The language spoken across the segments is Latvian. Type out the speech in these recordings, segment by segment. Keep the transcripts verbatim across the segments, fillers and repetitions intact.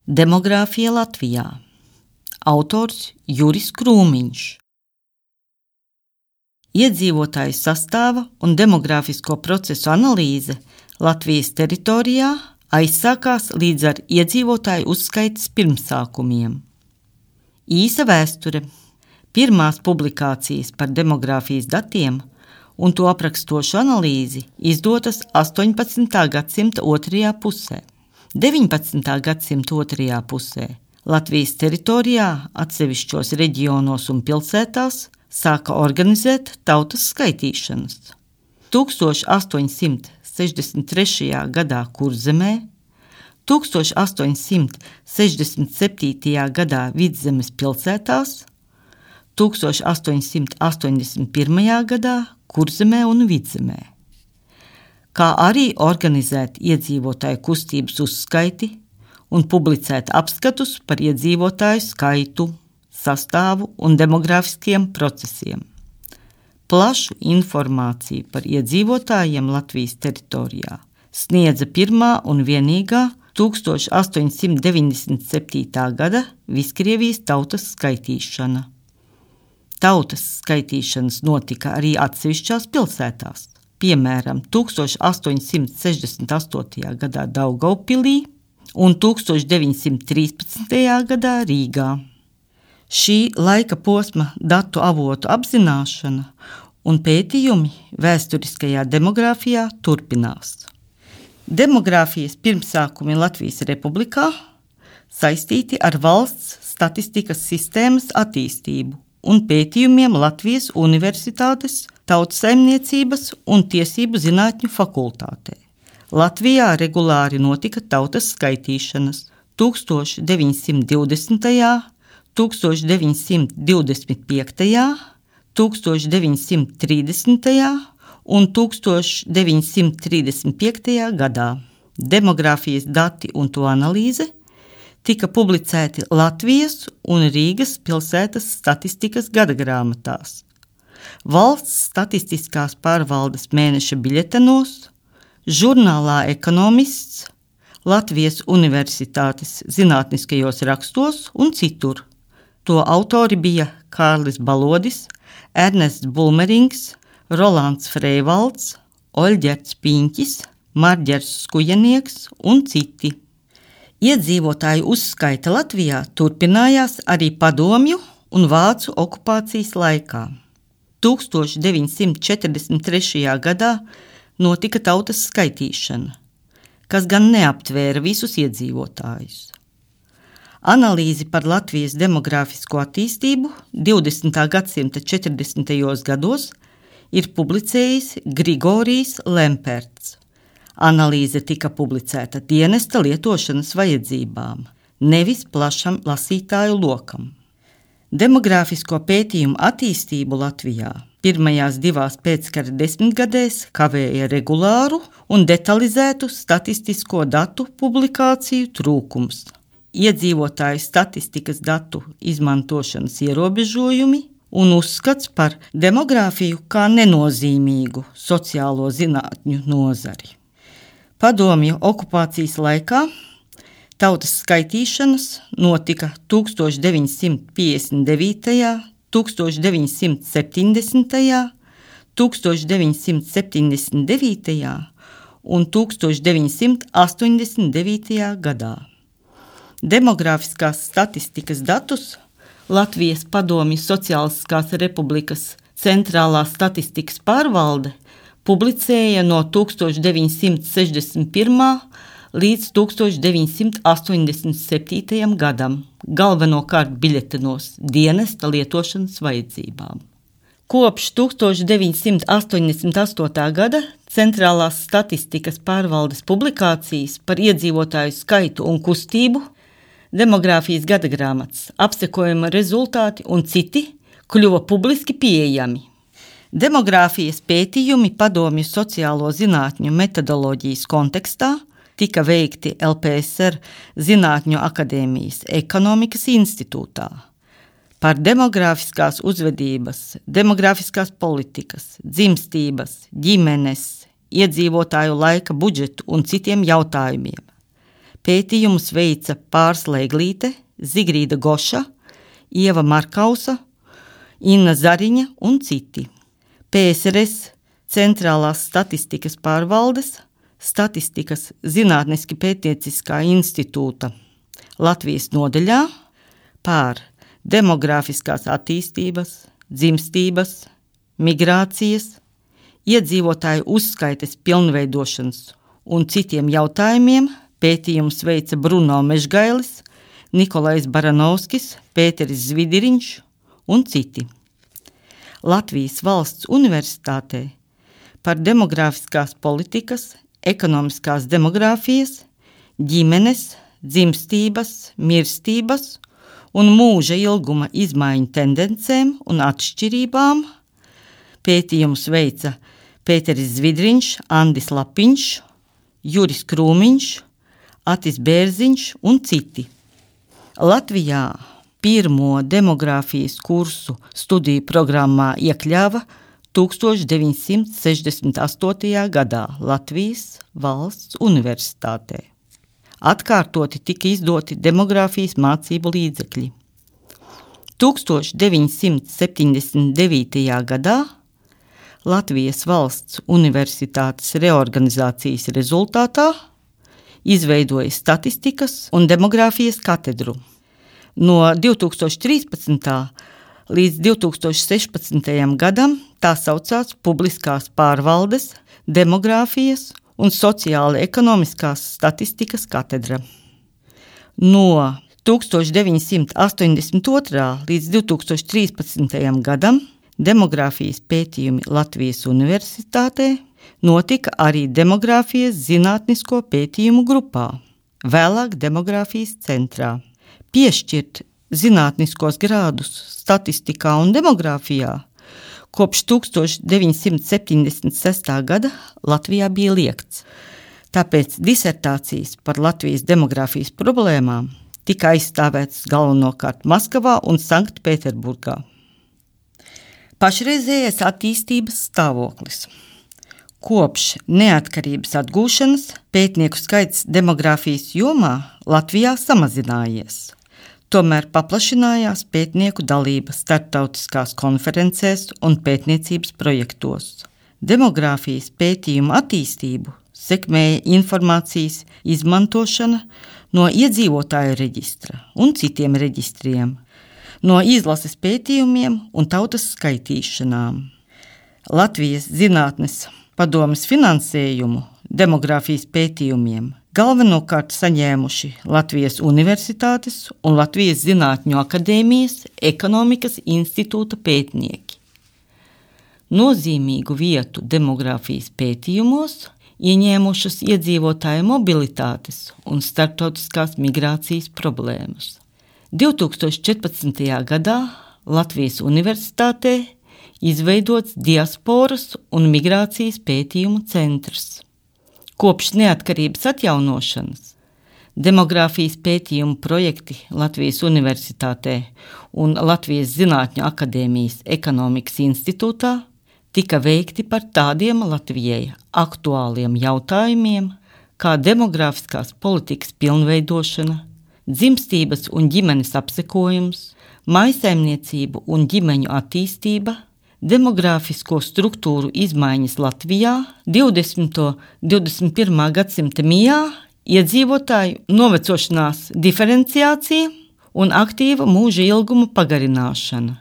Demogrāfija Latvijā. Autors Juris Krūmiņš. Iedzīvotāju sastāva un demogrāfisko procesu analīze Latvijas teritorijā aizsākās līdz ar iedzīvotāju uzskaites pirmsākumiem. Īsa vēsture. Pirmās publikācijas par demogrāfijas datiem un to aprakstošu analīzi izdotas astoņpadsmitā gadsimta otrajā pusē. deviņpadsmitā gadsimta otrajā pusē Latvijas teritorijā, atsevišķos reģionos un pilsētās sāka organizēt tautas skaitīšanas. tūkstoš astoņsimt sešdesmit trešajā gadā Kurzemē, tūkstoš astoņsimt sešdesmit septītajā gadā Vidzemes pilsētās, tūkstoš astoņsimt astoņdesmit pirmajā gadā Kurzemē un Vidzemē, kā arī organizēt iedzīvotāju kustības uzskaiti un publicēt apskatus par iedzīvotāju skaitu, sastāvu un demogrāfiskiem procesiem. Plašu informāciju par iedzīvotājiem Latvijas teritorijā sniedza pirmā un vienīgā tūkstoš astoņsimt deviņdesmit septītā gada Viskrievijas tautas skaitīšana. Tautas skaitīšanas notika arī atsevišķās pilsētās. Piemēram, tūkstoš astoņsimt sešdesmit astotajā gadā Daugavpilī un tūkstoš deviņsimt trīspadsmitajā gadā Rīgā. Šī laika posma datu avotu apzināšana un pētījumi vēsturiskajā demogrāfijā turpinās. Demogrāfijas pirmsākumi Latvijas Republikā saistīti ar valsts statistikas sistēmas attīstību un pētījumiem Latvijas Universitātes Tautsaimniecības un Tiesību zinātņu fakultātē. Latvijā regulāri notika tautas skaitīšanas tūkstoš deviņsimt divdesmitajā, tūkstoš deviņsimt divdesmit piektajā, tūkstoš deviņsimt trīsdesmitajā un tūkstoš deviņsimt trīsdesmit piektajā gadā. Demogrāfijas dati un to analīze tika publicēti Latvijas un Rīgas pilsētas statistikas gadagrāmatās, Valsts statistiskās pārvaldes mēneša biļetenos, žurnālā Ekonomists, Latvijas Universitātes zinātniskajos rakstos un citur. To autori bija Kārlis Balodis, Ernests Bulmerings, Rolands Freivalds, Oļģerts Piņķis, Marģers Skujenieks un citi. Iedzīvotāju uzskaita Latvijā turpinājās arī padomju un vācu okupācijas laikā. tūkstoš deviņsimt četrdesmit trešajā gadā notika tautas skaitīšana, kas gan neaptvēra visus iedzīvotājus. Analīzi par Latvijas demogrāfisko attīstību divdesmitā gadsimta četrdesmitajos gados ir publicējis Grigorijs Lemperts. Analīze tika publicēta dienesta lietošanas vajadzībām, nevis plašam lasītāju lokam. Demogrāfisko pētījumu attīstību Latvijā pirmajās divās pēckara desmitgadēs kavēja regulāru un detalizētu statistisko datu publikāciju trūkums, iedzīvotāju statistikas datu izmantošanas ierobežojumi un uzskats par demogrāfiju kā nenozīmīgu sociālo zinātņu nozari. Padomju okupācijas laikā tautas skaitīšanas notika tūkstoš deviņsimt piecdesmit devītajā, tūkstoš deviņsimt septiņdesmitajā, tūkstoš deviņsimt septiņdesmit devītajā un tūkstoš deviņsimt astoņdesmit devītajā gadā. Demogrāfiskās statistikas datus Latvijas Padomju Sociālistiskās Republikas centrālā statistikas pārvalde publicēja no tūkstoš deviņsimt sešdesmit pirmā līdz tūkstoš deviņsimt astoņdesmit septītajam gadam, galvenokārt biļetenos dienesta lietošanas vajadzībām. Kopš tūkstoš deviņsimt astoņdesmit astotā gada centrālās statistikas pārvaldes publikācijas par iedzīvotāju skaitu un kustību, demogrāfijas gadagrāmatas, apsekojuma rezultāti un citi kļuva publiski pieejami. Demogrāfijas pētījumi padomju sociālo zinātņu metodoloģijas kontekstā tika veikti L P S R Zinātņu akadēmijas ekonomikas institūtā par demogrāfiskās uzvedības, demogrāfiskās politikas, dzimstības, ģimenes, iedzīvotāju laika budžetu un citiem jautājumiem. Pētījumus veica Pārsle Eglīte, Zigrīda Goša, Ieva Markausa, Inna Zariņa un citi. P S R S Centrālās statistikas pārvaldes, Statistikas zinātniski pētnieciskā institūta Latvijas nodaļā pār demogrāfiskās attīstības, dzimstības, migrācijas, iedzīvotāju uzskaites pilnveidošanas un citiem jautājumiem pētījumus veica Bruno Mežgailis, Nikolais Baranovskis, Pēteris Zvidiriņš un citi. Latvijas Valsts Universitātē par demogrāfiskās politikas, ekonomiskās demogrāfijas, ģimenes, dzimstības, mirstības un mūža ilguma izmaiņu tendencēm un atšķirībām pētījumus veica Pēteris Zvidriņš, Andis Lapiņš, Juris Krūmiņš, Atis Bērziņš un citi. Latvijā pirmo demogrāfijas kursu studiju programmā iekļāva tūkstoš deviņsimt sešdesmit astotajā gadā Latvijas Valsts Universitātē. Atkārtoti tika izdoti demogrāfijas mācību līdzekļi. tūkstoš deviņsimt septiņdesmit devītajā gadā Latvijas Valsts Universitātes reorganizācijas rezultātā izveidoja statistikas un demogrāfijas katedru. No divtūkstoš trīspadsmitā līdz divtūkstoš sešpadsmitajam gadam tā saucās Publiskās pārvaldes, demogrāfijas un sociāli ekonomiskās statistikas katedra. No tūkstoš deviņsimt astoņdesmit otrā līdz divtūkstoš trīspadsmitajam gadam demogrāfijas pētījumi Latvijas Universitātē notika arī demogrāfijas zinātnisko pētījumu grupā, vēlāk demogrāfijas centrā. Piešķirt zinātniskos grādus statistikā un demogrāfijā kopš tūkstoš deviņsimt septiņdesmit sestā gada Latvijā bija liegts. Tāpēc disertācijas par Latvijas demogrāfijas problēmām tika aizstāvētas galvenokārt Maskavā un Sanktpēterburgā. Pašreizējais attīstības stāvoklis. Kopš neatkarības atgūšanas pētnieku skaits demogrāfijas jomā Latvijā samazinājies. Tomēr paplašinājās pētnieku dalība starptautiskās konferencēs un pētniecības projektos. Demogrāfijas pētījumu attīstību sekmēja informācijas izmantošana no iedzīvotāju reģistra un citiem reģistriem, no izlases pētījumiem un tautas skaitīšanām. Latvijas zinātnes padomes finansējumu demogrāfijas pētījumiem galvenokārt saņēmuši Latvijas Universitātes un Latvijas Zinātņu akadēmijas ekonomikas institūta pētnieki. Nozīmīgu vietu demogrāfijas pētījumos ieņēmušas iedzīvotāju mobilitātes un starptautiskās migrācijas problēmas. divtūkstoš četrpadsmitajā gadā Latvijas Universitātē izveidots diasporas un migrācijas pētījumu centrs. Kopš neatkarības atjaunošanas demogrāfijas pētījumu projekti Latvijas Universitātē un Latvijas Zinātņu akadēmijas ekonomikas institūtā tika veikti par tādiem Latvijai aktuāliem jautājumiem, kā demogrāfiskās politikas pilnveidošana, dzimstības un ģimenes apsekojums, mājsaimniecību un ģimeņu attīstība, demogrāfisko struktūru izmaiņas Latvijā, divdesmito un divdesmit pirmā gadsimta mijā, iedzīvotāju novecošanās diferenciācija un aktīva mūža ilguma pagarināšana,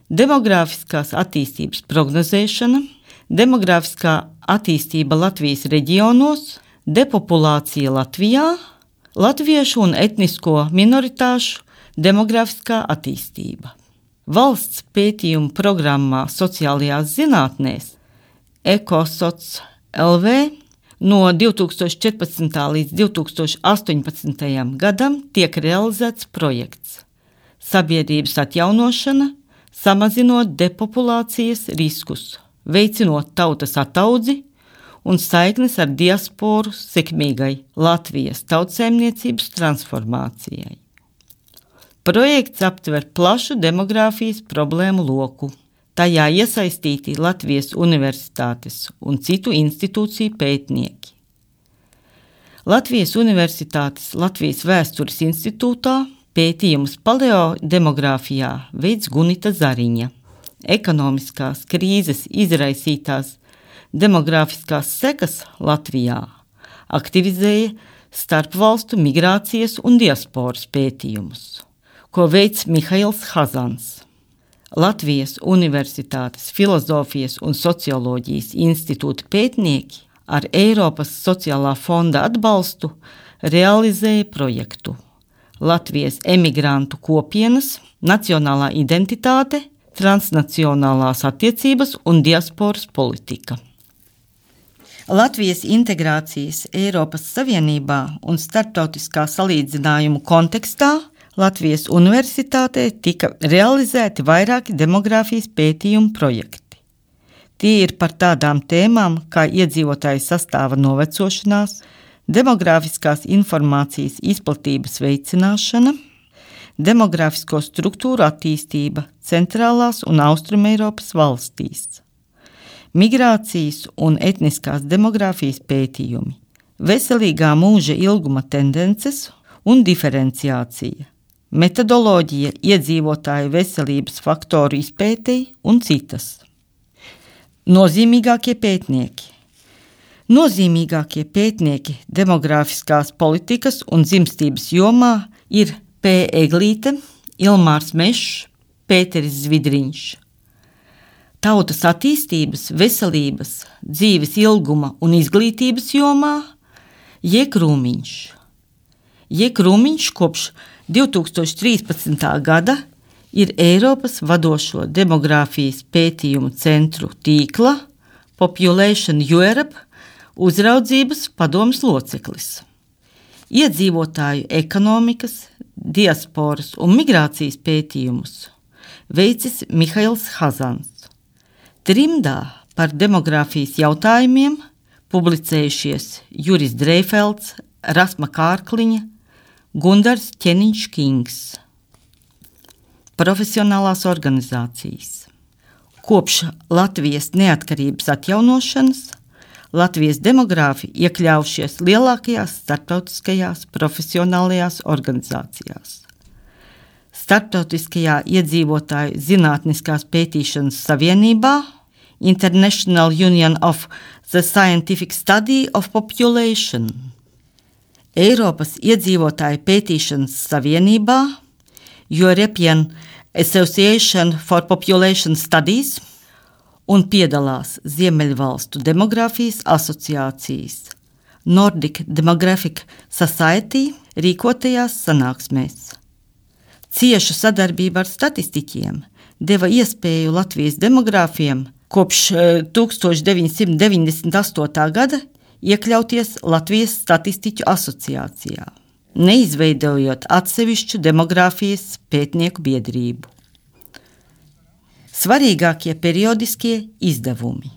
demogrāfiskās attīstības prognozēšana, demogrāfiskā attīstība Latvijas reģionos, depopulācija Latvijā, latviešu un etnisko minoritāšu demogrāfiskā attīstība. Valsts pētījumu programmā sociālajās zinātnēs Ekosoc L V no divtūkstoš četrpadsmitā līdz divtūkstoš astoņpadsmitajam gadam tiek realizēts projekts Sabiedrības atjaunošana, samazinot depopulācijas riskus, veicinot tautas ataudzi un saiknes ar diasporu sekmīgai Latvijas tautsēmniecības transformācijai. Projekts aptver plašu demogrāfijas problēmu loku. Tajā iesaistīti Latvijas Universitātes un citu institūciju pētnieki. Latvijas Universitātes Latvijas Vēstures institūtā pētījumus paleodemogrāfijā veids Gunita Zariņa. Ekonomiskās krīzes izraisītās demogrāfiskās sekas Latvijā aktivizēja starpvalstu migrācijas un diasporas pētījumus, ko veids Mihails Hazans. Latvijas Universitātes Filozofijas un socioloģijas institūta pētnieki ar Eiropas sociālā fonda atbalstu realizēja projektu Latvijas emigrantu kopienas, nacionālā identitāte, transnacionālās attiecības un diasporas politika. Latvijas integrācijas Eiropas Savienībā un starptautiskā salīdzinājumu kontekstā Latvijas Universitātē tika realizēti vairāki demogrāfijas pētījumu projekti. Tie ir par tādām tēmām kā iedzīvotāju sastāva novecošanās, demogrāfiskās informācijas izplatības veicināšana, demogrāfisko struktūru attīstība centrālās un austrumeiropas valstīs, migrācijas un etniskās demogrāfijas pētījumi, veselīgā mūža ilguma tendences un diferenciācija, metodoloģija iedzīvotāju veselības faktoru izpētei un citas. Nozīmīgākie pētnieki. Nozīmīgākie pētnieki demogrāfiskās politikas un dzimstības jomā ir P. Eglīte, Ilmārs Mešs, Pēteris Zvidriņš. Tautas attīstības, veselības, dzīves ilguma un izglītības jomā J. Krūmiņš. J. Krūmiņš kopš divi tūkstoši trīspadsmitā gada ir Eiropas vadošo demogrāfijas pētījumu centru tīkla Population Europe uzraudzības padomes loceklis. Iedzīvotāju ekonomikas, diasporas un migrācijas pētījumus veicis Mihails Hazans. Trimdā par demogrāfijas jautājumiem publicējušies Juris Dreifelds, Rasma Kārkliņa, Gundars Ķeniņš-Kings. Profesionālās organizācijas. Kopš Latvijas neatkarības atjaunošanas Latvijas demogrāfi iekļaujušies lielākajās starptautiskajās profesionālajās organizācijās. Starptautiskajā iedzīvotāju zinātniskās pētīšanas savienībā International Union of the Scientific Study of Population, Eiropas iedzīvotāju pētīšanas savienībā European Association for Population Studies un piedalās Ziemeļvalstu demogrāfijas asociācijas Nordic Demographic Society rīkotajās sanāksmēs. Cieša sadarbība ar statistiķiem deva iespēju Latvijas demogrāfiem kopš tūkstoš deviņsimt deviņdesmit astotā gada iekļauties Latvijas statistiķu asociācijā, neizveidojot atsevišķu demogrāfijas pētnieku biedrību. Svarīgākie periodiskie izdevumi.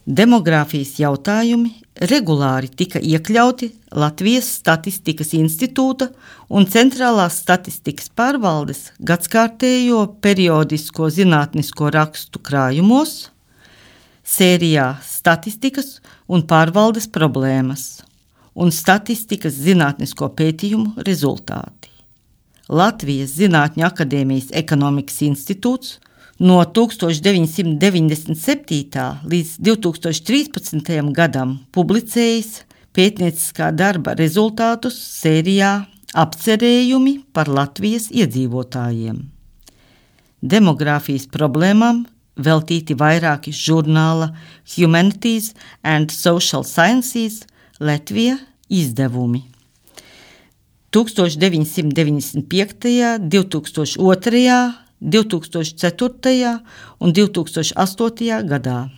Demogrāfijas jautājumi regulāri tika iekļauti Latvijas Statistikas institūta un Centrālās statistikas pārvaldes gadskārtējo periodisko zinātnisko rakstu krājumos, sērijā Statistikas un pārvaldes problēmas un Statistikas zinātnisko pētījumu rezultāti. Latvijas Zinātņu akadēmijas ekonomikas institūts no tūkstoš deviņsimt deviņdesmit septītā līdz divi tūkstoši trīspadsmitajam gadam publicējis pētnieciskā darba rezultātus sērijā Apcerējumi par Latvijas iedzīvotājiem. Demogrāfijas problēmām veltīti vairāki žurnāla Humanities and Social Sciences Latvija izdevumi. tūkstoš deviņsimt deviņdesmit piektajā, divi tūkstoši otrajā, divi tūkstoši ceturtajā un divi tūkstoši astotajā gadā.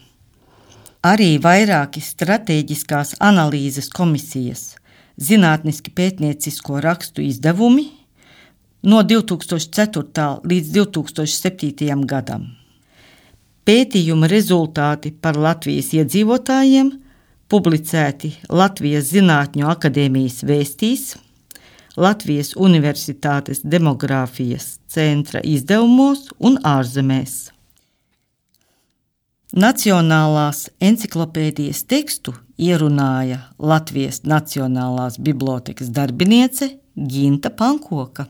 Arī vairāki stratēģiskās analīzes komisijas zinātniski pētniecisko rakstu izdevumi no divi tūkstoši ceturtā līdz divi tūkstoši septītajam gadam. Pētījuma rezultāti par Latvijas iedzīvotājiem publicēti Latvijas Zinātņu akadēmijas vēstīs, Latvijas Universitātes demogrāfijas centra izdevumos un ārzemēs. Nacionālās enciklopēdijas tekstu ierunāja Latvijas Nacionālās bibliotēkas darbiniece Ginta Pankoka.